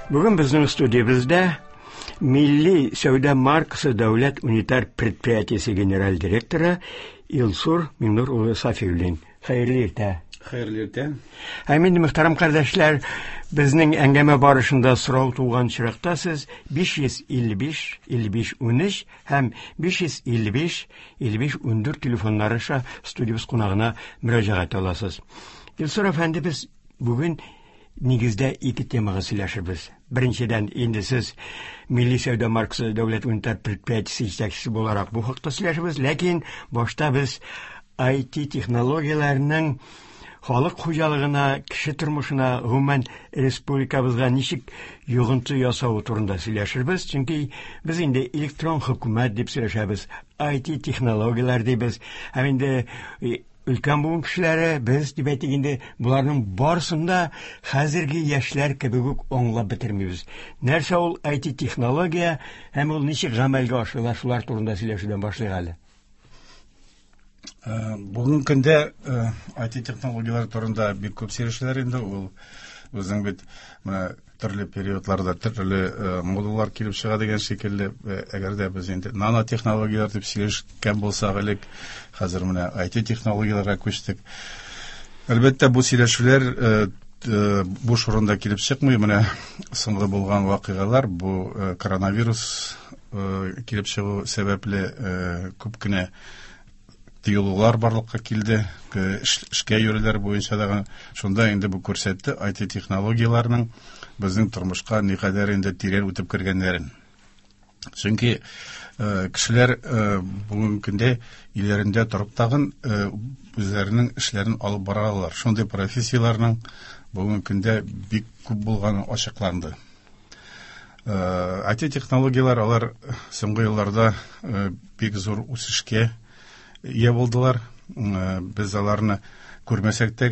Бүген безнең студиябездә Милли сәүдә маркасы дәүләт унитар предприятиесе генераль директоры Илсур Миңнур улы Сафиуллин. Хәерле иртә. Хәерле иртә. Һәм инде, мөхтәрәм кардәшләр, безнең әңгәмә барышында сорау туган очракта сез 555 55 13 һәм 555 55 14 телефоннары аша студиябез кунагына мөрәҗәгать аласыз. Илсур әфәнде, без бүген нигездә ике темага сөйләшербез. Беренчедән, инде сез Милли сәүдә маркасы дәүләт унитар предприятиесе җитәкчесе буларак бу хакта сөйләшербез, ләкин башта без IT технологияләренең халык хуҗалыгына, кеше тормышына, гомумән республикабызга ничек йогынты ясавы турында сөйләшербез, чөнки без инде электрон хөкүмәт дип сөйләшәбез, IT технологияләр дибез, һәм инде өлкән буын кешеләре, без дип әйтик инде, боларның барысын да хәзерге яшьләр кебек үк аңлап бетермибез. Нәрсә ул IT технология һәм ул ничек гамәлгә ашырыла, шулар турында сөйләшүдән башлыйк әле. Бүгенге көндә IT технологияләр турында бик күп сөйләшәләр инде. Ул үзең бит менә төрле периодларда төрле модалар килеп чыга дигән шикелле, әгәр дә без инде нанотехнологияләр дип сөйләшкән булсак элек, хәзер менә IT технологияләргә күчтек. Әлбәттә, бу сөйләшүләр буш урында килеп чыкмый. Менә соңгы булган вакыйгалар, бу коронавирус килеп чыгу сәбәпле күп кенә тыелулар барлыкка килде, эшкә йөрүләр буенча да. Шунда инде бу күрсәтте IT технологияләрнең безнең тормышка никадәр инде тирән үтеп кергәннәрен. Чөнки кешеләр бүгенге көндә өйләрендә торып тагын үзләренең эшләрен алып бара алалар. Шундый профессияләрнең бүгенге көндә бик күп булганы ачыкланды. IT технологияләр алар соңгы елларда бик зур үсешкә ия булдылар. Без аларны күрмәсәк тә,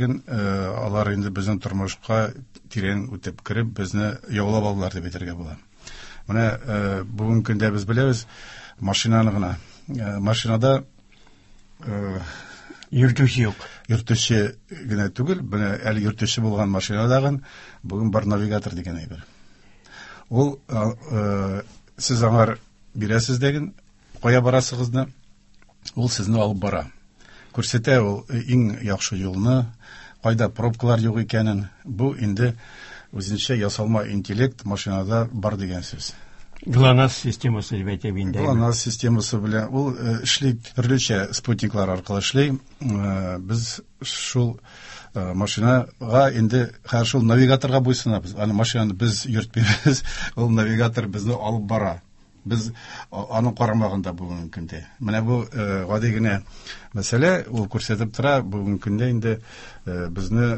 алар инде безнең тормышка тирән үтеп кереп, безне яулап алдылар дип әйтергә була. Менә бүгенге көндә без беләбез машинаны гына. Машинада йөртүче юк. Йөртүче генә түгел, менә әле йөртүче булган машинадагын бүген бар навигатор дигән әйбер. Ул сез аңар бирәсез дәген, кая барасыгызны, ул сезне алып бара. Күрсәтә ул иң яхшы юлны, кайда пробкалар юк икәнен. Бу инде үзенчә ясалма интеллект машинада бар дигән сүз. ГЛОНАСС системасы дип әйтеп инде. ГЛОНАСС системасы белән ул эшли, төрлечә спутниклар аркылы эшли. Без шул машинага инде хәзер шул навигаторга буйсынабыз. Аны машинаны без йөртмибез, ул навигатор безне алып бара. Без аның карамагында бүгенге көндә. Менә бу гади генә мәсьәлә, ул күрсәтеп тора, бүгенге көндә инде безне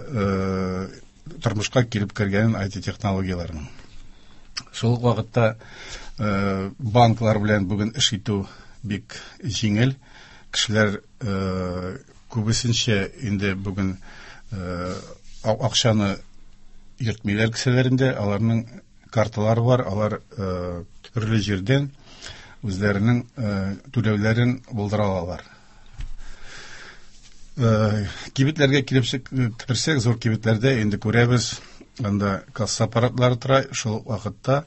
тормышка килеп кергән IT технологияләрнең. Шул ук вакытта банклар белән бүген эш итү бик җиңел. Кешеләр күбесенчә инде бүген акчаны йөртмиләр кесәләрендә, аларның карталары бар, алар төрле җирдән үзләренең түләүләрен булдыра алалар. Кибетләргә килеп керсәк, зур кибетләрдә инде күрәбез, анда касса аппаратлары тора, шул ук вакытта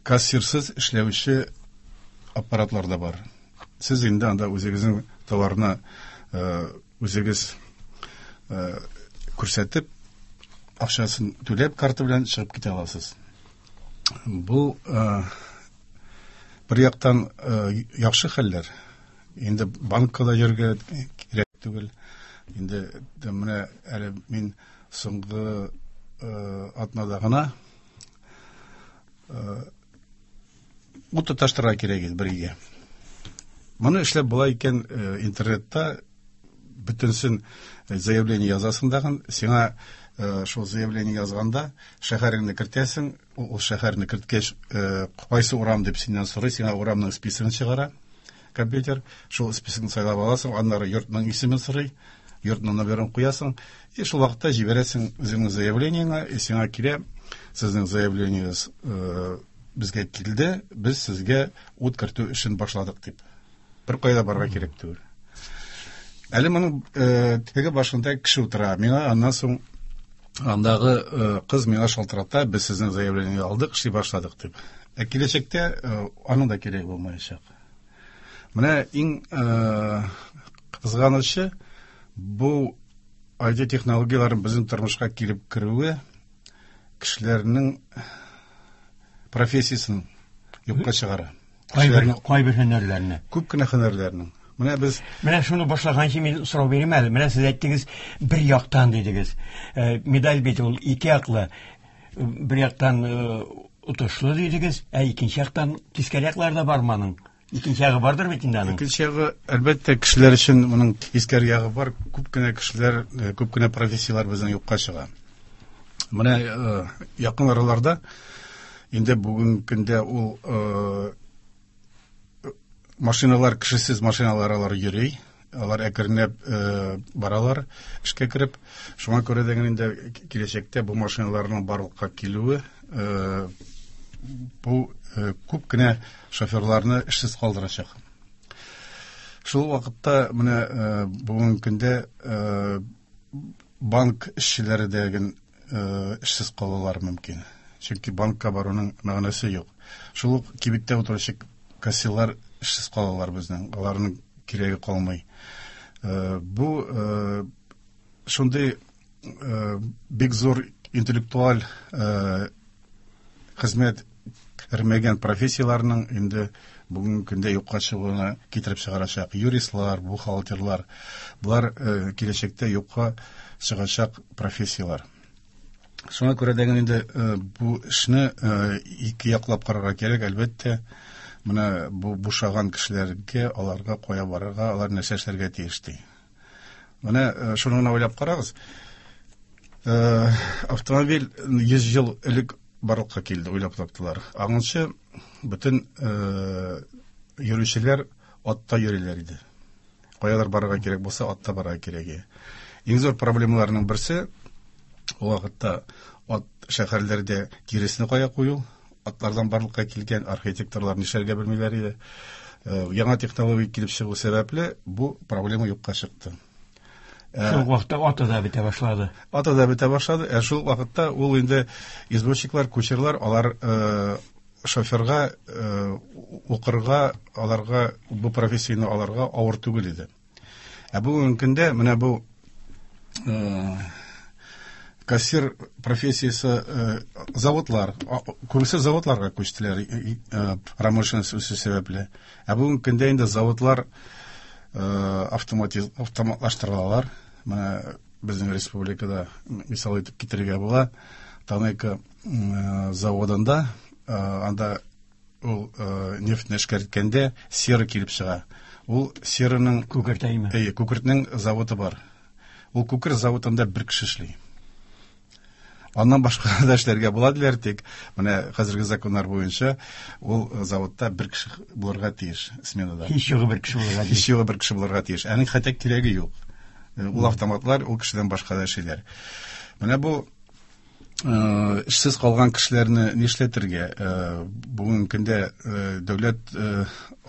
кассирсыз эшләүче аппаратлар да бар. Сез инде анда үзегезнең товарны үзегез күрсәтеп, акчасын түләп карта белән чыгып китә аласыз. Бу бер яктан яхшы хәлләр. Инде банкка да йөрергә кирәк түгел. Инде менә әле мин соңгы атнада гына ут тоташтырырга кирәк иде бер өйгә. Моны эшләп була икән интернетта, бөтенсен заявление язасың дагын, сиңа шул заявление язганда шәһәреңне кертәсең, ул шәһәрне керткәч, кайсы урам дип синнән сорый, сиңа урамның списогын чыгара компьютер, шул списокны сайлап аласың, аннары йортның исемен сорый, йортның номерын куясың, и шул вакытта җибәрәсең үзеңнең заявлениеңә, и сиңа килә, сезнең заявлениегез безгә килде, без сезгә ут кертү эшен башладык дип. Бер кайда барырга кирәк түгел. Әле моның теге башында кеше утыра. Миңа аннан соң андагы кыз миңа шалтырата, без сезнең заявление алдык, эшли башладык дип. Ә киләчәктә аның да кирәге булмаячак. Менә иң кызганычы бу IT технологияләренең безнең тормышка килеп керүе кешеләрнең профессиясен юкка чыгара. Кайбер һөнәрләрне. Күп кенә һөнәрләрнең. Менә без Менә шуны башлаганчы мин сорау бирим әле. Менә сез әйттегез, бер яктан дидегез. Медаль бит ул ике яклы. Бер яктан отышлы дидегез, ә икенче яктан тискәре яклары да бармы аның? Икенче ягы бардыр бит инде аның. Икенче ягы, әлбәттә, кешеләр өчен моның тискәре ягы бар. Күп кенә кешеләр, күп кенә профессияләр безнең юкка чыга. Менә якын араларда инде бүгенге көндә ул машиналар, кешесез машиналар алар йөри, алар әкренләп баралар эшкә кереп. Шуңа күрә дә инде киләчәктә бу машиналарның барлыкка килүе бу күп кенә шоферларны эшсез калдырачак. Шул вакытта менә бүгенге көндә банк эшчеләре дә эшсез калалар мөмкин. Чөнки банкка баруның мәгънәсе юк. Шул ук кибеттә утыручы кассирлар эшсез калалар безнең. Аларның кирәге калмый. Бу шундый бик зур интеллектуаль хезмәт кермәгән профессияләрнең инде бүгенге көндә юкка чыгуына китереп чыгарачак. Юристлар, бухгалтерлар, болар киләчәктә юкка чыгачак профессияләр. Шуңа күрә дә инде бу эшне ике яклап карарга кирәк, әлбәттә. Менә бу бушаган кешеләргә, аларга кая барырга, алар нәрсә эшләргә тиеш ди. Менә шуны гына уйлап карагыз. Автомобиль 100 ел элек барлыкка килде, уйлап таптылар. Аңынчы бөтен йөрүчеләр атта йөриләр иде. Каядыр барырга кирәк булса, атта барырга кирәк иде. Иң зур проблемаларның берсе ул вакытта ат шәһәрләрдә тиресне кая кую, атлардан барлыкка килгән архитекторлар нишләргә белмиләр иде. Яңа технология килеп чыгу сәбәпле бу проблема юкка чыкты. Шул вакытта аты да бетә башлады. Аты да бетә башлады. Ә шул вакытта ул инде извозчиклар, кучерлар, алар шоферга укырга, аларга бу профессияне аларга авыр түгел иде. Ә бүгенге көндә менә бу кассир профессиясе заводлар, күбесе заводларга күчтеләр промышленность үсү сәбәпле. Ә бүгенге көндә инде заводлар автоматлаштырылалар. Менә безнең республикада мисал итеп китерергә була. Танека заводында анда ул нефтьне эшкәрткәндә сера килеп чыга. Ул сераның күкерт әйме? Әйе, күкертнең заводы бар. Ул күкерт заводында бер кеше эшли. Аннан башка да эшләргә була диләр, тик менә хәзерге законнар буенча ул заводта бер кеше булырга тиеш сменада. Һич югы бер кеше булырга тиеш. Һич югы бер кеше булырга тиеш. Аның хәтта кирәге юк. Ул автоматлар ул кешедән башка да эшлиләр. Менә бу эшсез калган кешеләрне нишләтергә? Бүгенге көндә дәүләт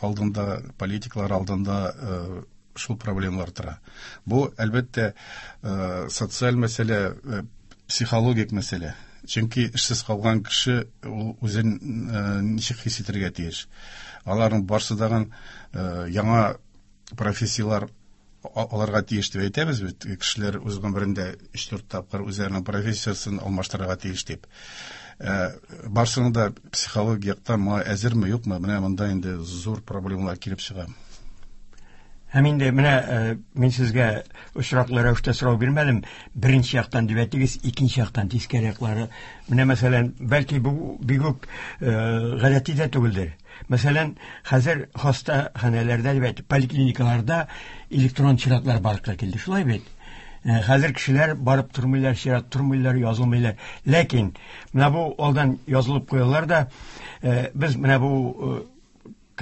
алдында, политиклар алдында шул проблемалар тора. Бу, әлбәттә, социаль мәсьәлә, психологик мәсьәлә. Чөнки эшсез калган кеше ул үзен ничек хис итәргә тиеш. Аларның барсы дагын яңа профессияләр аларга тиеш дип әйтәбез бит. Кешеләр үз гомерендә 3-4 тапкыр үзләренең профессиясен алмаштырырга тиеш дип. Барсының да психологик яктан моңа әзерме, юкмы? Менә монда инде зур проблемалар килеп чыга. Һәм инде менә мин сезгә очраклы рәвештә сорау бирмәдем. Беренче яктан дип әйтегез, икенче яктан тискәре яклары. Менә мәсәлән, бәлки бу бик үк гадәти дә түгелдер. Мәсәлән, хәзер хастаханәләрдә дип әйтеп, поликлиникаларда электрон чиратлар барлыкка килде. Шулай бит? Хәзер кешеләр барып тормыйлар, чират тормыйлар, язылмыйлар. Ләкин менә бу алдан язылып куялар да, без менә бу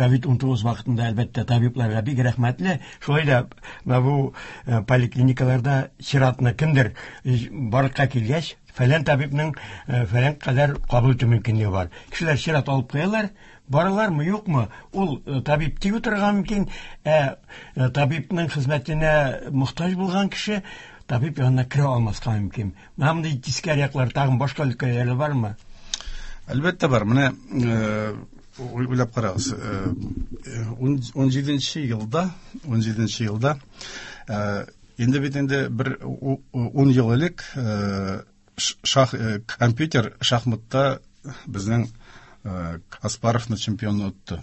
COVID-19 вакытында, әлбәттә, табибларга бик рәхмәтле. Шулай да менә бу э, поликлиникаларда чиратны кемдер э, барлыкка килгәч, фәлән табибның э, фәлән кадәр кабул итү мөмкинлеге бар. Кешеләр чират алып куялар, баралармы, юкмы, ул табиб тик утырырга мөмкин, ә табибның хезмәтенә мохтаҗ булган кеше табиб янына керә алмаска мөмкин. Менә мондый тискәре яклар тагын башка өлкәләрдә бармы? Әлбәттә бар. Менә уйлап карагыз. 17 елда, 17 елда инде бит инде бер 10 ел элек шах компьютер шахматта безнең Каспаровны чемпион отты.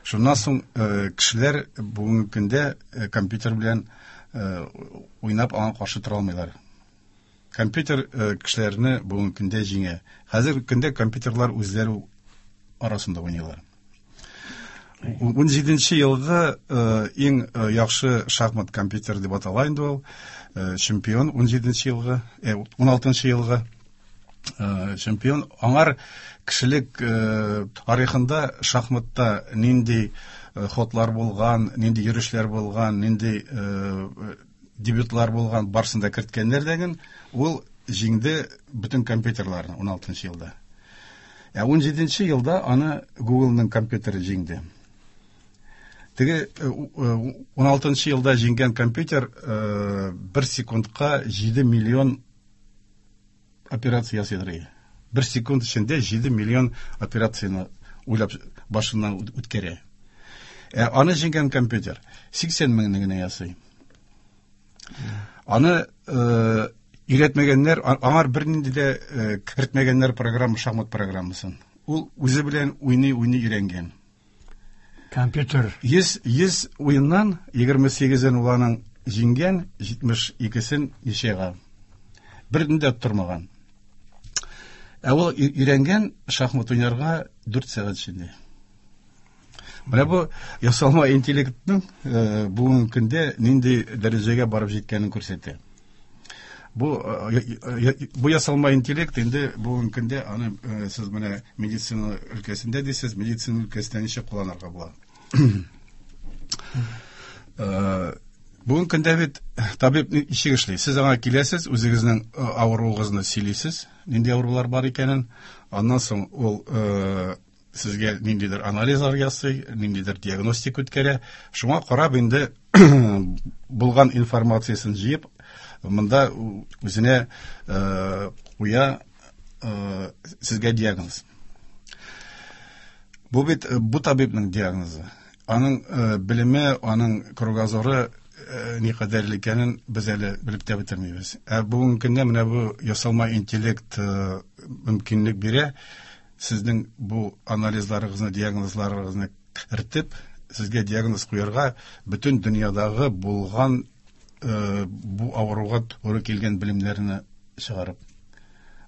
Шуннан соң кешеләр бүгенге көндә компьютер белән уйнап аңа каршы тора алмыйлар. Компьютер кешеләрне бүгенге көндә җиңә. Хәзерге көндә компьютерлар үзләре арасында уйныйлар. 17 елгы иң яхшы шахмат компьютер дип атала инде ул. Чемпион 17 елгы, 16 елгы чемпион. Аңар кешелек тарихында шахматта нинди ходлар булган, нинди йөрешләр булган, нинди дебютлар булган, барысын да керткәннәр дәген, ул җиңде бөтен компьютерларны 16 елда. Ә 17 елда аны Google'ның компьютеры җиңде. Теге 16 елда җиңгән компьютер бер секундка 7 миллион операция ясыйдыр иде. Бер секунд эчендә 7 миллион операцияне уйлап башыннан үткәрә. Ә аны җиңгән компьютер 80 меңне генә ясый. Аны өйрәтмәгәннәр, аңар бернинди дә кертмәгәннәр программа, шахмат программасын. Ул үзе белән уйный-уйный өйрәнгән. Компьютер. 100 100 уеннан 28-ен ул аның җиңгән, 72-сен ничәгә. Берни дә оттырмаган. Ә ул өйрәнгән шахмат уйнарга 4 сәгать эчендә. Менә бу ясалма интеллектның бүгенге көндә нинди дәрәҗәгә барып җиткәнен күрсәтә. Бу бу ясалма интеллект инде бүгенге көндә аны сез менә медицина өлкәсендә дисез, медицина өлкәсендә ничек кулланырга була? Бүгенге көндә бит табиб ничек эшли? Сез аңа киләсез, үзегезнең авыруыгызны сөйлисез, нинди авырулар бар икәнен. Аннан соң ул сезгә ниндидер анализлар ясый, ниндидер диагностика үткәрә. Шуңа карап инде булган информациясен җыеп, монда үзенә куя сезгә диагноз. Бу бит бу табибның диагнозы. Аның белеме, аның кругозоры никадәрле икәнен без әле белеп тә бетермибез. Ә бүгенге көндә менә бу ясалма интеллект мөмкинлек бирә сезнең бу анализларыгызны, диагнозларыгызны кертеп, сезгә диагноз куярга бөтен дөньядагы булган бу авыруга туры килгән белемнәрне чыгарып.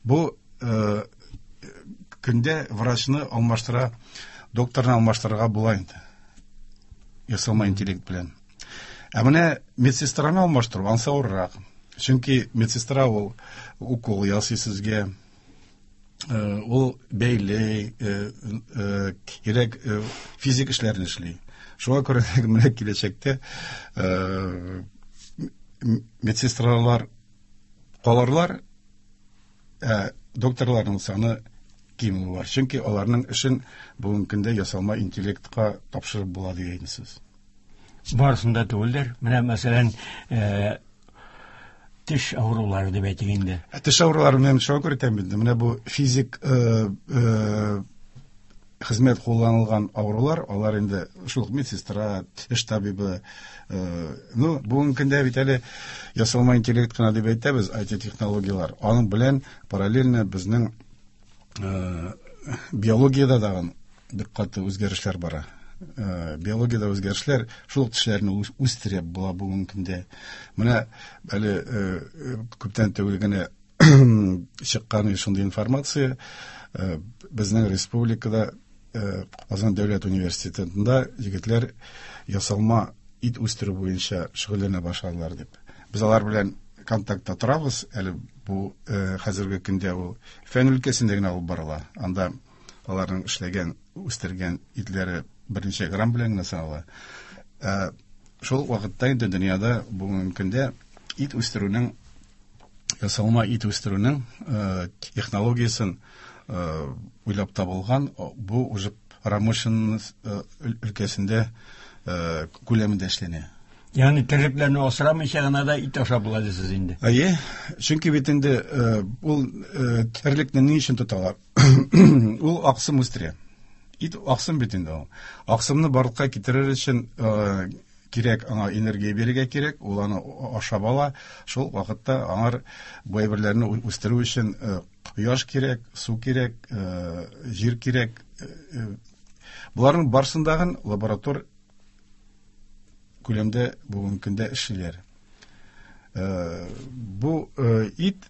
Бу көндә врачны алмаштыра, докторны алмаштырырга була инде. Ясалма интеллект белән. Ә менә медсестраны алмаштыру ансы авыррак. Чөнки медсестра ул укол ясый сезгә, ул бәйли, кирәк физик эшләрне эшли. Шуңа күрә менә киләчәктә медсестралар калырлар, ә докторларның саны кимүе бар. Чөнки аларның эшен бүгенге көндә ясалма интеллектка тапшырып була дигән сүз. Барысын да түгелдер. Менә мәсәлән, теш авырулары дип әйтик инде. Теш авырулары менә шуңа күрә әйтәм инде. Менә бу физик хезмәт кулланылган авырулар, алар инде шул ук медсестра, теш табибы. Ну, бүгенге көндә бит әле ясалма интеллект кына дип әйтәбез, IT-технологияләр. Аның белән параллельно безнең биологиядә тагын бик каты үзгәрешләр бара. Биологиядә үзгәрешләр шул ук тешләрне үстереп була бүгенге көндә. Менә әле күптән түгел генә чыккан шундый информация, безнең республикада Казан дәүләт университетында егетләр ясалма ит үстерү буенча шөгыльләнә башладылар дип. Без алар белән контактта торабыз. Әле бу хәзерге көндә ул фән өлкәсендә генә алып барыла. Анда аларның эшләгән, үстергән итләре Берничә грамм белән генә санала. Ә, шул вакытта инде дөньяда бүгенге көндә ит үстерүнең ясалма ит үстерүнең технологиясен уйлап табылган. Бу уже промышленность өлкәсендә күләмендә эшләнә. Ягъни терлекләрне асрамыйча гына да ит ашап була дисез инде. Әйе, чөнки бит инде ул терлекне ни өчен тоталар? Ул аксым үстерә. Ит аксым бит инде ул. Аксымны барлыкка китерер өчен кирәк аңа энергия бирергә кирәк, ул аны ашап ала. Шул вакытта аңар бу әйберләрне үстерү өчен кояш кирәк, су кирәк, җир кирәк. Боларның барысын дагын лаборатор күләмдә бүгенге көндә эшлиләр. Бу ит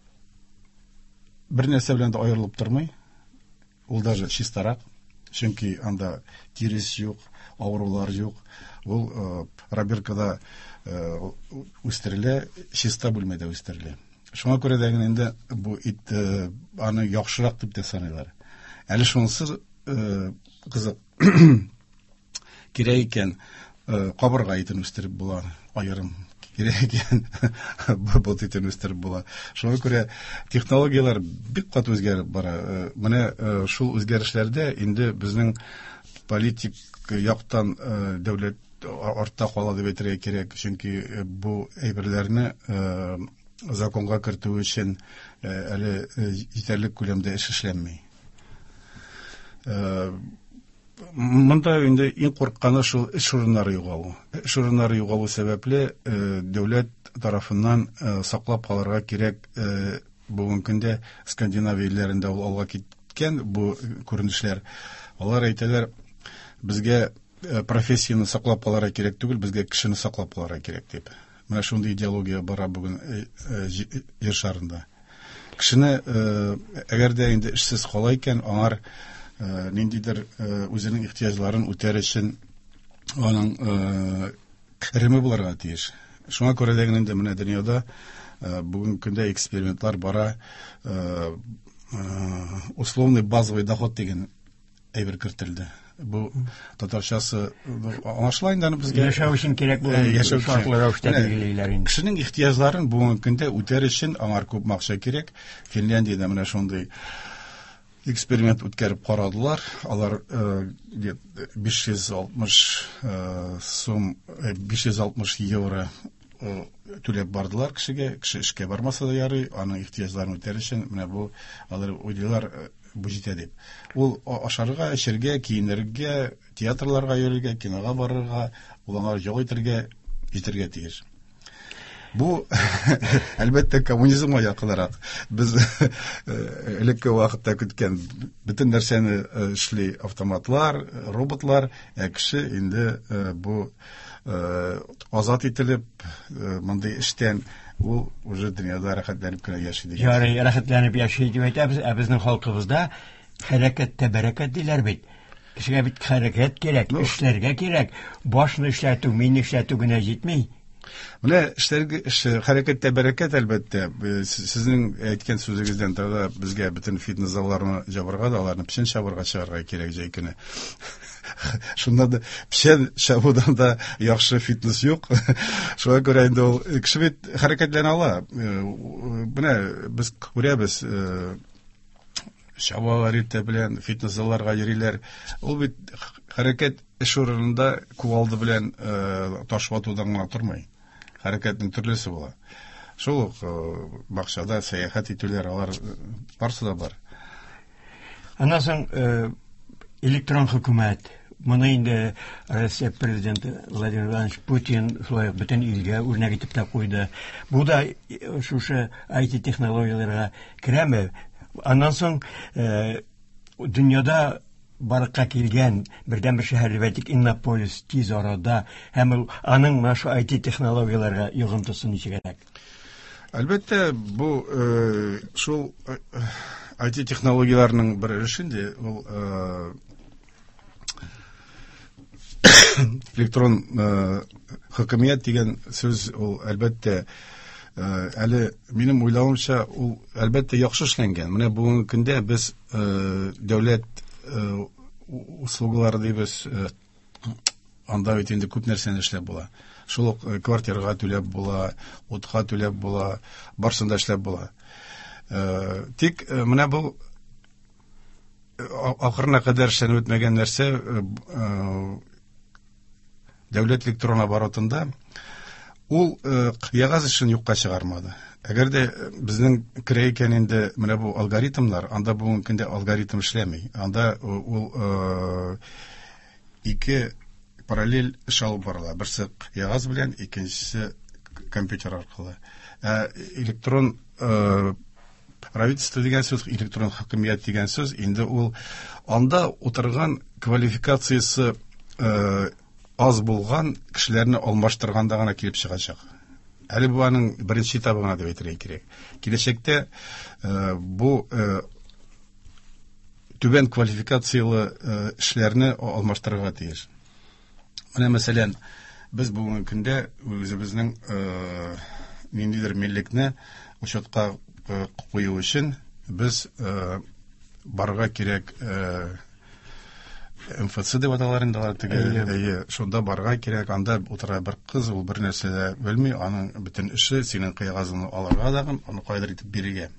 бер нәрсә белән дә аерылып тормый. Ул даже чистарак, чөнки анда тирес юк, авырулар юк. Ул пробиркада үстерелә, чиста бүлмәдә үстерелә. Шуңа күрә дә инде бу ит аны яхшырак дип тә саныйлар. Әле шунысы кызык. Кирәк икән, кабырга итен үстереп була, аерым. Кирәк икән, бот итен үстереп була. Шуңа күрә технологияләр бик каты үзгәреп бара. Менә шул үзгәрешләрдә инде безнең политик яктан дәүләт артта кала дип әйтергә кирәк, чөнки бу әйберләрне законга кертү өчен әле җитәрлек күләмдә эш эшләнми. Монда инде иң курыкканы шул эш урыннары югалу. Эш урыннары югалу сәбәпле дәүләт тарафыннан саклап калырга кирәк. Бүгенге көндә Скандинавия илләрендә ул алга киткән бу күренешләр. Алар әйтәләр, безгә профессияне саклап калырга кирәк түгел, безгә кешене саклап калырга кирәк дип. Менә шундый идеология бара бүген җир шарында. Кешене, әгәр дә инде эшсез кала икән, аңар ниндидер үзенең ихтыяҗларын үтәр өчен аның кереме булырга тиеш. Шуңа күрә дә инде менә дөньяда бүгенге көндә экспериментлар бара, условный базовый доход дигән әйбер кертелде. Бу татарчасы аңлашыла инде аны безгә. Яшәү өчен кирәк булган яшәү шартлы рәвештә билгелиләр инде. Кешенең ихтыяҗларын бүгенге көндә үтәр өчен аңар күп акча кирәк. Финляндиядә менә шундый эксперимент үткәреп карадылар. Алар 560 сум, 560 евро түләп бардылар кешегә. Кеше эшкә бармаса да ярый, аның ихтыяҗларын үтәр өчен менә бу алар уйлыйлар бу җитә дип. Ул ашарга, эчәргә, киенергә, театрларга йөрергә, кинога барырга, ул аңа ял итәргә җитәргә тиеш. Бу, әлбәттә, коммунизмга якынрак. Без элекке вакытта көткән бөтен нәрсәне эшли автоматлар, роботлар, ә кеше инде бу азат ителеп, мондый эштән ул уже дөньяда рәхәтләнеп кенә яши дигән. Ярый, рәхәтләнеп яши дип әйтәбез, ә безнең халкыбызда хәрәкәттә бәрәкәт диләр бит. Кешегә бит хәрәкәт кирәк, эшләргә кирәк. Башны эшләтү, мине эшләтү генә җитми. Менә эшләргә, эш, хәрәкәттә бәрәкәт, әлбәттә. Сезнең әйткән сүзегездән тогда безгә бөтен фитнес залларны җабырга да, аларны печән чабырга чыгарга кирәк җәй көне. Шунда да печән чабудан да яхшы фитнес юк. Шуңа күрә инде ул кеше бит хәрәкәтләнә ала. Менә без күрәбез, чабалар иртә белән, фитнес залларга йөриләр. Ул бит хәрәкәт эш урынында кувалда белән таш ватудан гына тормый. Хәрәкәтнең төрлесе була. Шул ук бакчада сәяхәт итүләр, алар барысы да бар. Аннан соң электрон хөкүмәт. Моны инде Россия президенты Владимир Владимирович Путин шулай ук бөтен илгә үрнәк итеп тә куйды. Бу да шушы ай ти технологияләргә керәме? Аннан соң дөньяда барлыкка килгән бердәнбер шәһәр дип әйтик, Иннополис тиз арада һәм ул аның менә шу ай ти технологияләргә йогынтысы ничегрәк? Әлбәттә, бу шул ай ти технологияләрнең бер өлеше инде, ул электрон хөкүмәт дигән сүз, ул әлбәттә, әле минем уйлавымча, ул әлбәттә яхшы эшләнгән. Менә бүгенге көндә без дәүләт услугалары дибез, Анда бит инде күп нәрсәне эшләп була. Шул ук квартирага түләп була, утка түләп була, барысын да эшләп була. Тик менә бу ахырына кадәр эшләнеп бетмәгән нәрсә дәүләт электрон оборотында ул кәгазь эшен юкка чыгармады. Әгәр дә безнең керә икән инде менә бу алгоритмнар, анда бүгенге көндә алгоритм эшләми. Анда ул ике параллель эш алып барыла. Берсе кәгазь белән, икенчесе компьютер аркылы. Ә электрон правительство дигән сүз, электрон хакимият дигән сүз, инде ул анда утырган квалификациясе аз булган кешеләрне алмаштырганда гына килеп чыгачак. Әле бу аның беренче этабы гына дип әйтергә кирәк. Киләчәктә бу түбән квалификацияле эшләрне алмаштырырга тиеш. Менә мәсәлән, без бүгенге көндә үзебезнең ниндидер миллекне учетка кую өчен без барырга кирәк МФЦ дип аталар инде алар теге. Әйе, шунда барырга кирәк. Анда утыра бер кыз, ул бер нәрсә дә белми, аның бөтен эше синең кәгазеңне алырга дагын, аны кайдыр итеп бирергә.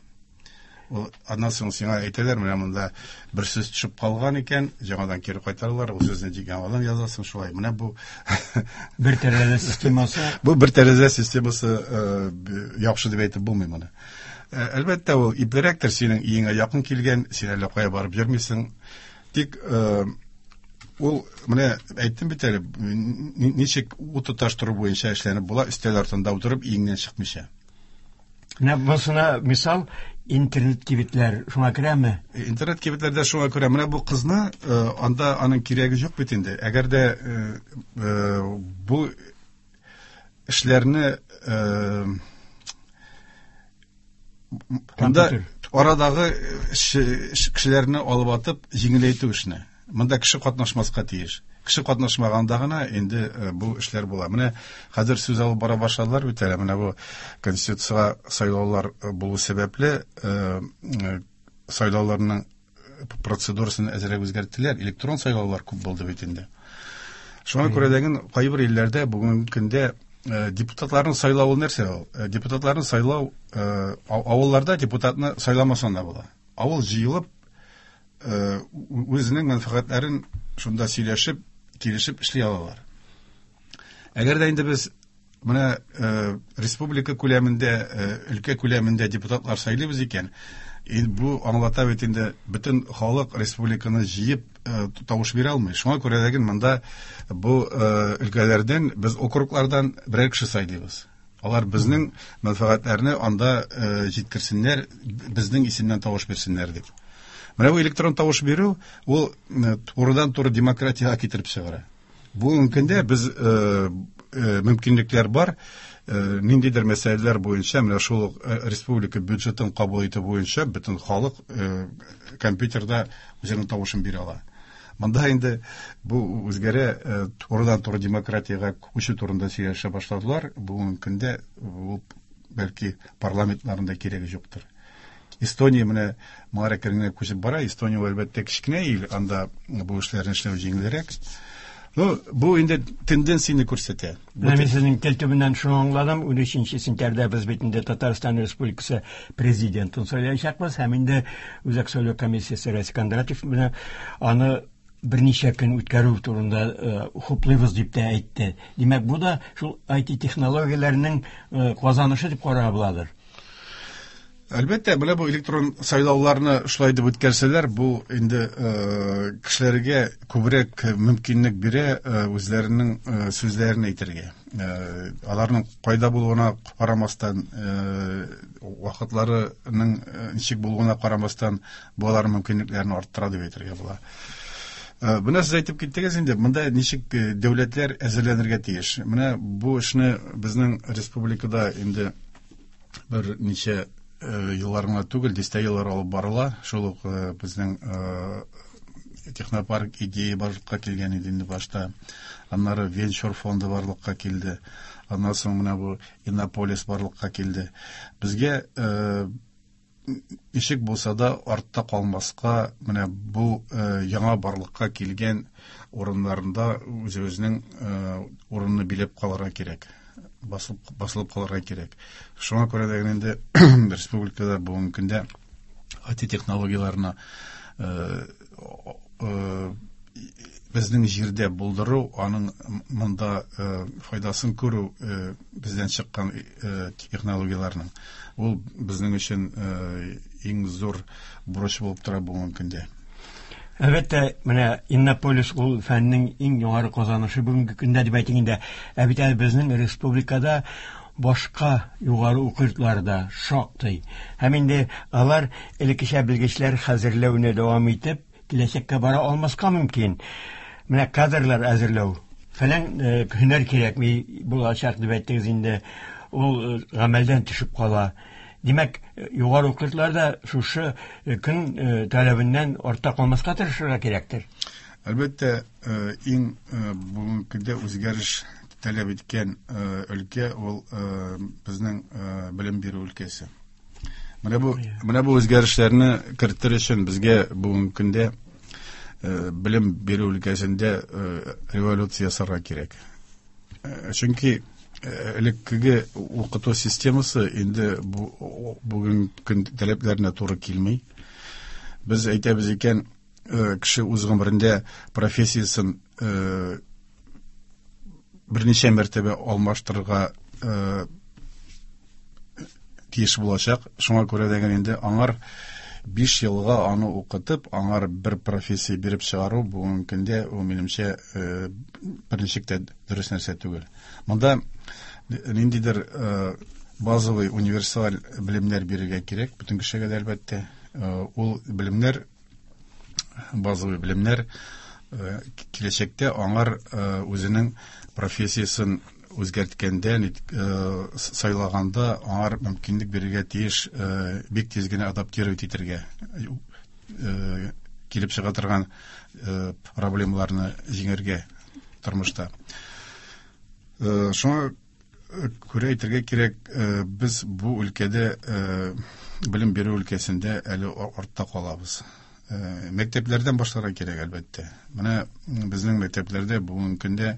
Ул аннан соң сиңа әйтәләр, менә монда бер сүз төшеп калган икән, яңадан кире кайтаралар, ул сүзне яңадан язасың шулай. Менә бу бер тәрәзә системасы. Бу бер тәрәзә системасы яхшы дип әйтеп булмый моны. Әлбәттә, ул иплерәктер, синең өеңә якын килгән, син әллә кая барып йөрмисең. Тик ул менә әйттем бит әле, ничек ут тоташтыру буенча эшләнеп була, өстәл артында утырып, өеңнән чыкмыйча. Менә бусына мисал интернет кибетләр шуңа керәме? Интернет кибетләрдә шуңа күрә. Менә бу кызны анда аның кирәге юк бит инде. Әгәр дә бу эшләрне анда арадагы кешеләрне алып атып җиңеләйтү эшне. Монда кеше катнашмаска тиеш. Кеше катнашмаганда гына инде бу эшләр була. Менә хәзер сүз алып бара башладылар бит әле. Менә бу конституциягә сайлаулар булу сәбәпле сайлауларның процедурасын әзрәк үзгәрттеләр. Электрон сайлаулар күп булды бит инде. Шуңа күрә дә кайбер илләрдә бүгенге көндә депутатларны сайлау ул нәрсә ул? Депутатларны сайлау авылларда депутатны сайламасаң да була. Авыл җыелып үзенең мәнфәгатьләрен шунда сөйләшеп, килешеп эшли алалар. Әгәр дә инде без менә республика күләмендә, өлкә күләмендә депутатлар сайлыйбыз икән, бу аңлата бит инде бөтен халык республиканы җыеп тавыш бирә алмый. Шуңа күрә дә монда бу өлкәләрдән без округлардан берәр кеше сайлыйбыз. Алар безнең мәнфәгатьләрне анда җиткерсеннәр, безнең исемнән тавыш бирсеннәр дип. Менә бу электрон тавыш бирү ул турыдан-туры демократиягә китереп чыгара. Бүгенге көндә без мөмкинлекләр бар, ниндидер мәсьәләләр буенча, менә шул республика бюджетын кабул итү буенча бөтен халык компьютерда үзенең тавышын бирә ала. Монда инде бу үзгәрә, турыдан-туры демократиягә күчү турында сөйләшә башладылар. Бүгенге көндә ул бәлки парламентларында кирәге юктыр. Эстония менә моңа әкренләп күчеп бара. Эстония әлбәттә кечкенә ил, анда бу эшләрне эшләү җиңелрәк. Ну, бу инде тенденцияне күрсәтә. Менә мин сезнең тел төбеннән шуны аңладым. 13 сентябрьдә без бит инде Татарстан Республикасы президентын сайлаячакбыз һәм инде Үзәк сайлау комиссиясе рәисе Кондратьев менә аны берничә көн үткәрү турында хуплыйбыз дип тә әйтте. Димәк, бу да шул IT технологияләренең казанышы дип карарга буладыр. Әлбәттә, менә бу электрон сайлауларны шулай дип үткәрсәләр, бу инде кешеләргә күбрәк мөмкинлек бирә үзләренең сүзләрен әйтергә. Аларның кайда булуына карамастан, вакытларының ничек булуына карамастан, бу аларның мөмкинлекләрен арттыра дип әйтергә була. Менә сез әйтеп киттегез инде, монда ничек дәүләтләр әзерләнергә тиеш. Менә бу эшне безнең республикада инде бер ничә еллар гына түгел, дистә еллар алып барыла. Шул ук безнең технопарк идея барлыкка килгән иде инде башта. Аннары венчур фонды барлыкка килде. Аннан соң менә бу Иннополис барлыкка килде. Безгә Ничек булса да артта калмаска, менә бу яңа барлыкка килгән урыннарында үзебезнең урынны биләп калырга кирәк. Басылып калырга кирәк. Шуңа күрә дә инде республикада бүгенге көндә IT технологияләренә безнең җирдә булдыру, аның монда файдасын күрү бездән чыккан технологияләрнең, ул безнең өчен иң зур бурыч булып тора бүгенге көндә. Әлбәттә, менә Иннополис ул фәннең иң югары казанышы бүгенге көндә дип әйтик инде. Ә бит әле безнең республикада башка югары уку йортлары да шактый. Һәм инде алар элеккечә белгечләр хәзерләүне дәвам итеп, киләчәккә бара алмаска мөмкин. Менә кадрлар әзерләү фәлән һөнәр кирәкми булачак дип әйттегез инде. Ул гамәлдән төшеп кала. Димәк, югары уку йортлары да шушы көн таләбеннән артта калмаска тырышырга кирәктер. Әлбәттә, иң бүгенге көндә үзгәреш таләп иткән өлкә ул безнең белем бирү өлкәсе. Менә бу үзгәрешләрне кертер өчен безгә бүгенге көндә белем бирү өлкәсендә революция ясарга кирәк. Чөнки элеккеге укыту системасы инде бүгенге көн таләпләренә туры килми. Без әйтәбез икән, кеше үз гомерендә профессиясен берничә мәртәбә алмаштырырга тиеш булачак. Шуңа күрә дә инде аңар 5 елга аны укытып, аңар бер профессия биреп чыгару бүгенге көндә ул минемчә берничек тә дөрес нәрсә түгел. Монда ниндидер базовый универсаль белемнәр бирергә кирәк бөтен кешегә дә, әлбәттә. Ул белемнәр, базовый белемнәр киләчәктә аңар үзенең профессиясен үзгәрткәндә, сайлаганда аңар мөмкинлек бирергә тиеш бик тиз генә адаптировать итәргә, килеп чыга торган проблемаларны җиңәргә тормышта. Шуңа күрә әйтергә кирәк, без бу өлкәдә, белем бирү өлкәсендә әле артта калабыз. Мәктәпләрдән башларга кирәк, әлбәттә. Менә безнең мәктәпләрдә бүгенге көндә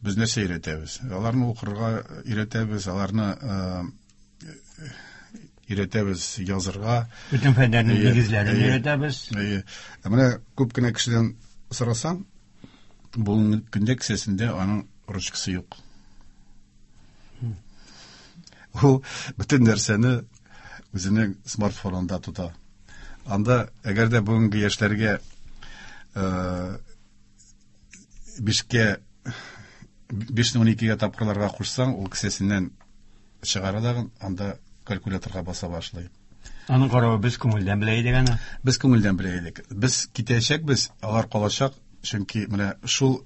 без нәрсә өйрәтәбез? Аларны укырга өйрәтәбез, аларны өйрәтәбез язырга. Бөтен фәннәрнең нигезләрен өйрәтәбез. Ә менә күп кенә кешедән сорасаң, бүгенге көндә кесәсендә аның ручкасы юк. Ул бөтен нәрсәне үзенең смартфонында тота. Анда, әгәр дә бүгенге яшьләргә бишкә бишне 12гә тапкырларга кушсаң, ул кесәсеннән чыгара да, анда калькуляторга баса башлый. Аның каравы без күңелдән белә идек аны. Без күңелдән белә идек. Без китәчәкбез, алар калачак, чөнки менә шул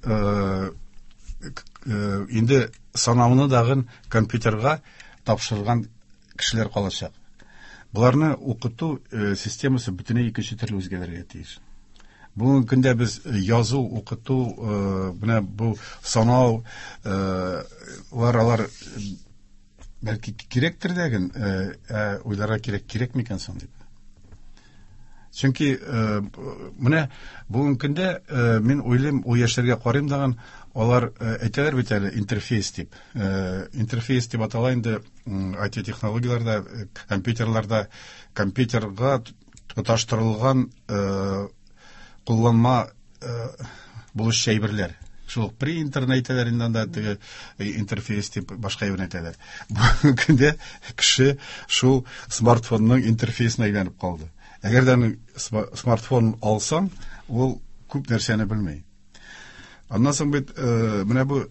инде санауны дагын компьютерга тапшырган кешеләр калачак. Боларны укыту системасы бөтенләй икенче төрле үзгәрергә тиеш. Бүгенге көндә без язу, укыту, менә бу санау лар алар бәлки кирәктер дә, ә уйларга кирәк, кирәк микән соң дип. Чөнки менә бүгенге көндә мин уйлыйм, ул яшьләргә карыйм дагын, алар әйтәләр бит әле интерфейс дип. Интерфейс дип атала инде IT технологияләрдә, компьютерларда компьютерга тоташтырылган кулланма булышчы әйберләр. Шул ук принтерны әйтәләр инде анда, теге интерфейс дип башка әйберне әйтәләр. Бүгенге көндә кеше шул смартфонның интерфейсына әйләнеп калды. Әгәр дә аның смартфон алсаң, ул күп нәрсәне белми. Аннан соң бит менә бу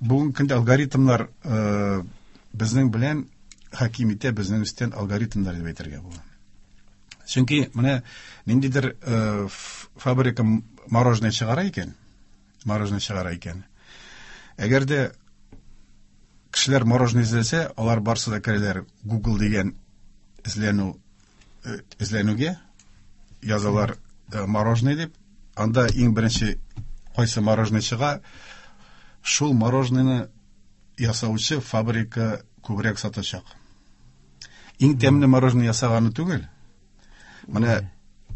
бүгенге көндә алгоритмнар безнең белән хаким итә, безнең өстән алгоритмнар дип әйтергә була. Чөнки менә ниндидер фабрика мороженое чыгара икән, мороженое чыгара икән. Әгәр дә кешеләр мороженое эзләсә, алар барсы да керәләр Google дигән эзләнүгә, язалар мороженое дип, анда иң беренче кайсы мороженое чыга, шул мороженоены ясаучы фабрика күбрәк сатачак. Иң тәмле мороженое ясаганы түгел, Менә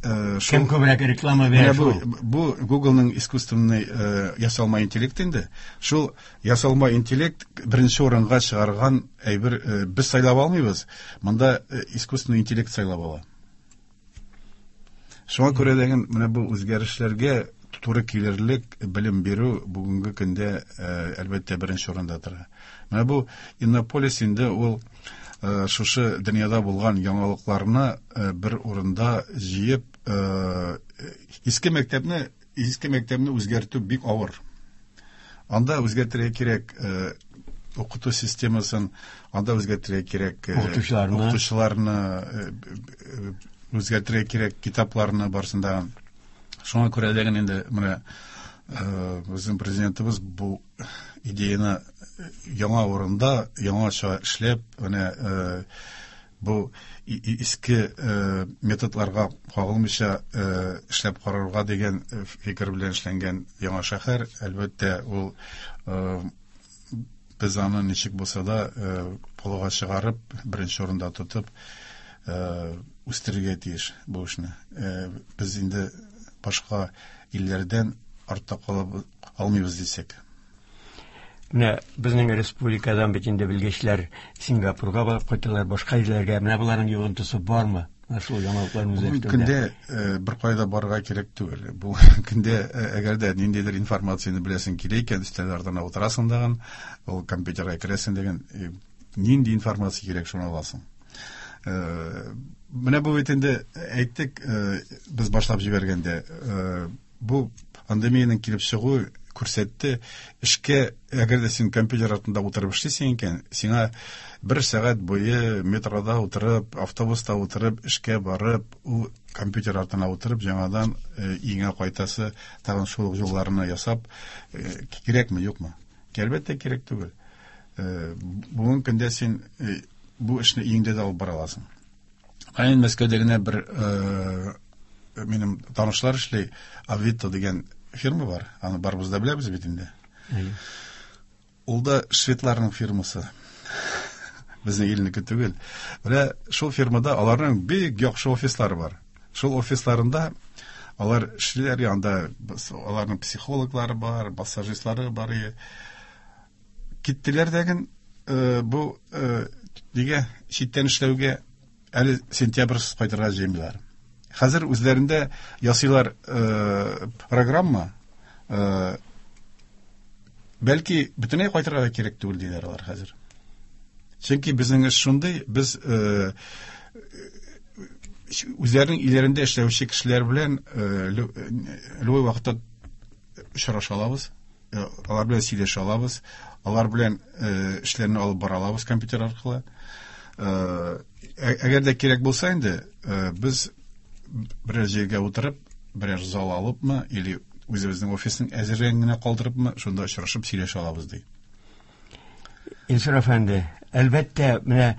Кем күбрәк реклама бирә шул. Бу Googleның искусственный ясалма интеллект инде. Шул ясалма интеллект беренче урынга чыгарган әйбер без сайлап алмыйбыз. Монда искусственный интеллект сайлап ала. Шуңа күрә дә менә бу үзгәрешләргә туры килерлек белем бирү бүгенге көндә әлбәттә беренче урында тора. Менә бу Иннополис инде ул шушы дөньяда булган яңалыкларны бер урында җыеп, иске мәктәпне иске мәктәпне үзгәртү бик авыр. Анда үзгәртергә кирәк укыту системасын, анда үзгәртергә кирәк укытучыларны, укытучыларны үзгәртергә кирәк китапларны барысын да. Шуңа күрә дә инде менә безнең президентыбыз бу идеяны яңа урында, яңача эшләп, менә бу иске методларга кагылмыйча эшләп карарга дигән фикер белән эшләнгән яңа шәһәр, әлбәттә, ул без аны ничек булса да алга чыгарып, беренче урында тотып үстерергә тиеш бу эшне. Без инде башка илләрдән артта кала алмыйбыз дисәк. Менә безнең республикадан бит инде белгечләр Сингапурга барып кайталар, башка илләргә. Менә боларның йогынтысы бармы? Менә шул яңалыкларны Бүгенге көндә бер кайда барырга кирәк түгел. Бу көндә әгәр дә ниндидер информацияне беләсең килә икән, өстәл артына утырасың дагын, ул компьютерга керәсең дигән, нинди информация кирәк, шуны аласың. Менә бу бит инде әйттек, без башлап җибәргәндә, бу пандемиянең килеп чыгуы күрсәтте, эшкә, әгәр дә син компьютер артында утырып эшлисең икән, сиңа бер сәгать буе метрода утырып, автобуста утырып, эшкә барып, ул компьютер артына утырып, яңадан өеңә кайтасы, тагын шул ук юлларны ясап, кирәкме, юкмы? Әлбәттә, кирәк түгел. Бүгенге көндә син бу эшне өеңдә дә алып бара аласың. Ә инде Мәскәүдә генә бер минем танышлар эшли, Авито дигән фирма бар, аны барыбыз да беләбез бит инде. Ул да шведларның фирмасы. Безнең илнеке түгел. Менә шул фирмада аларның бик яхшы офислары бар. Шул офисларында алар эшлиләр, анда аларның психологлары бар, массажистлары бар. Киттеләр дәген бу нигә читтән эшләүгә әле сентябрьсез кайтырга җыенмыйлар. Хәзер үзләрендә ясыйлар программа, бәлки бөтенләй кайтырга да кирәк түгел диләр алар хәзер. Чөнки безнең эш шундый, без үзләренең өйләрендә эшләүче кешеләр белән любой вакытта очраша алабыз, алар белән сөйләшә алабыз, алар белән эшләрне алып бара алабыз компьютер аркылы. Әгәр дә кирәк булса инде, без берәр җиргә утырып, берәр зал алыпмы, или үзебезнең офисның әзерлеген генә калдырыпмы, шунда очрашып сөйләшә алабыз ди. Илсур әфәнде, әлбәттә, менә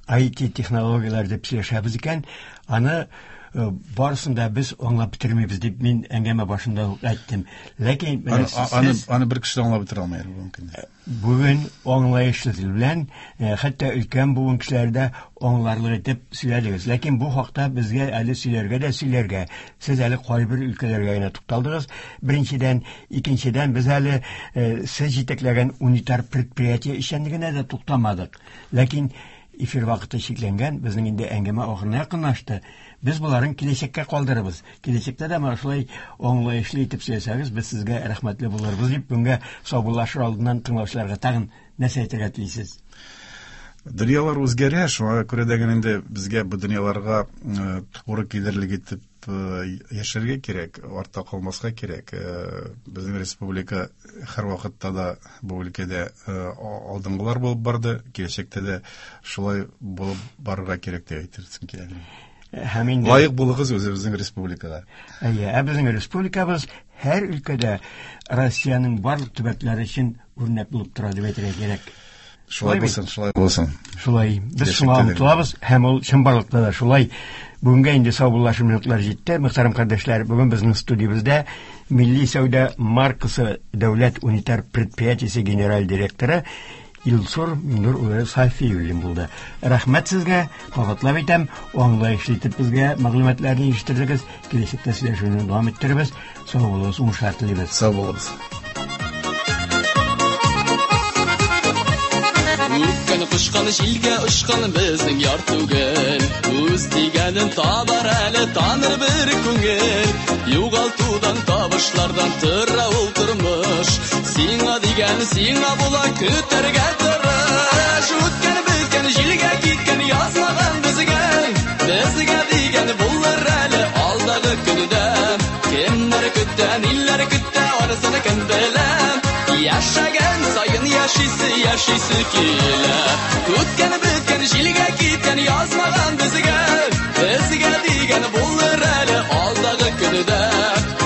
IT технологияләр дип сөйләшәбез икән, аны барысын да без аңлап бетермибез дип мин әңгәмә башында ук әйттем. Ләкин менә сез аны бер кеше дә аңлап бетерә алмый әле бүгенге көндә. Бүген аңлаешлы тел белән, хәтта өлкән буын кешеләре дә аңларлык итеп сөйләдегез. Ләкин бу хакта безгә әле сөйләргә дә сөйләргә. Сез әле кайбер өлкәләргә генә тукталдыгыз. Беренчедән, икенчедән, без әле сез җитәкләгән унитар предприятие эшчәнлегенә дә туктамадык. Ләкин эфир вакыты чикләнгән, безнең инде әңгәмә ахырына якынлашты. Без боларын киләчәккә калдырабыз. Киләчәктә дә менә шулай аңлаешлы итеп сөйләсәгез, без сезгә рәхмәтле булырбыз дип, бүгенгә саубуллашыр алдыннан тыңлаучыларга тагын нәрсә әйтергә телисез? Дөньялар үзгәрә, шуңа күрә дә генә инде безгә бу дөньяларга туры килерлек итеп яшәргә кирәк, артта калмаска кирәк. Безнең республика һәрвакытта да бу өлкәдә алдынгылар булып барды, киләчәктә дә шулай булып барырга кирәк дип әйтерсең килә. Һәм инде лаек булыгыз үзебезнең республикага. Әйе, ә безнең республикабыз һәр өлкәдә Россиянең барлык төбәкләре өчен үрнәк булып тора дип әйтергә кирәк. Шулай булсын, шулай булсын. Шулай. Без шуңа омтылабыз һәм ул чынбарлыкта да шулай. Бүгенгә инде саубуллашу минутлар җитте. Мөхтәрәм кардәшләр, бүген безнең студиябездә Милли сәүдә маркасы дәүләт унитар предприятиесе генераль директоры Илсур Миннур улы Сафиуллин булды. Рәхмәт сезгә, кабатлап әйтәм, аңлаешлы итеп безгә мәгълүматларны ирештердегез. Киләчәктә сөйләшүне дәвам иттерербез. Сау булыгыз, уңышлар телибез. Сау булыгыз. Үткән кочкан җилгә очкан безнең яр түгел. Үз дигәнен табар әле таныр бер күңел. Югалтудан, табышлардан тора ул тормыш. Сиңа дигән сиңа була, көтәргә тырыш. Үткән беткән җилгә киткән язмаган безгә. Безгә дигән булыр әле алдагы көндә. Кемнәр көтә, ниләр көтә, анысын кем белә. Яшәгән саен яшисе, яшисе килә. Үткән беткән җилгә киткән язмаган безгә. Безгә дигән булыр әле алдагы көндә.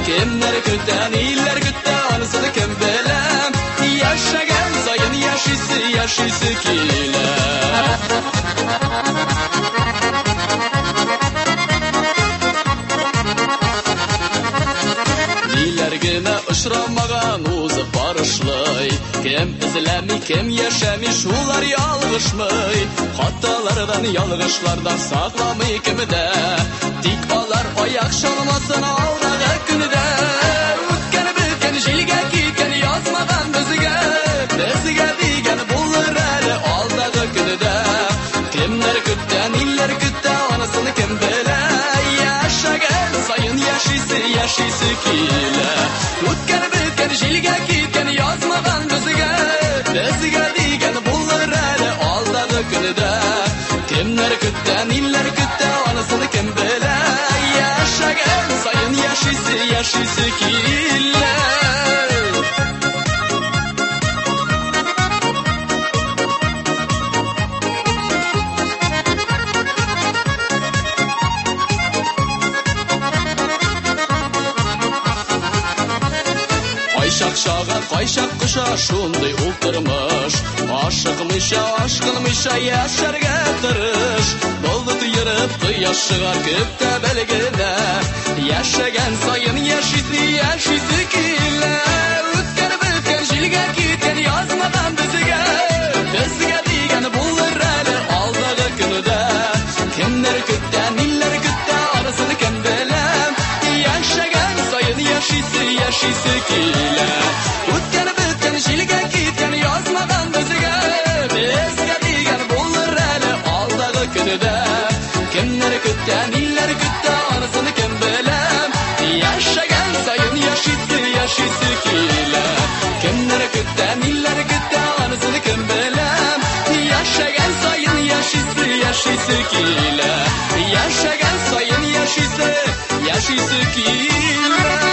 Кемнәр көтә, ниләр көтә, анысын кем белә. Яшәгән саен яшисе, яшисе килә. Ниләр генә очрамаган узып барышлый. Кем эзләми, кем яшәми, шулар ялгышмый. Хаталардан, ялгышлардан сакламый кем дә. Тик алар аяк чалмасын алдагы көндә. Үткән беткән җилгә киткән язмаган безгә. Безгә дигән булыр әле алдагы көндә. Кемнәр көтә, ниләр көтә, анысын кем белә. Яшәгән саен яшисе, яшисе килә. Үткән беткән җилгә киткән язмаган безгә. Безгә дигән булыр әле алдагы көндә. Кемнәр көтә, ниләр көтә, анысын кем белә. Яшәгән саен яшисе, яшисе килә. Кайчак чага, кайчак кыша, шундый ул тормыш. Ашыкмыйча, ашкынмыйча яшәргә тырыш. Болыт ерып, кояш чыгар күп тә белгенә. Яшәгән саен яшисе, яшисе килә. Үткән беткән җилгә киткән язмаган безгә. Безгә дигән булыр әле алдагы көндә. Кемнәр көтә, ниләр көтә, анысын кем белә. Яшәгән саен яшисе, яшисе килә. Үткән беткән җилгә киткән язмаган безгә. Безгә дигән булыр әле алдагы көндә. Кемнәр көтә, ниләр көтә, анысын кем белә. Яшәгән саен яшисе, яшисе килә. Кемнәр көтә, ниләр көтә, анысын кем белә. Яшәгән саен яшисе, яшисе килә. Яшәгән саен яшисе, яшисе килә.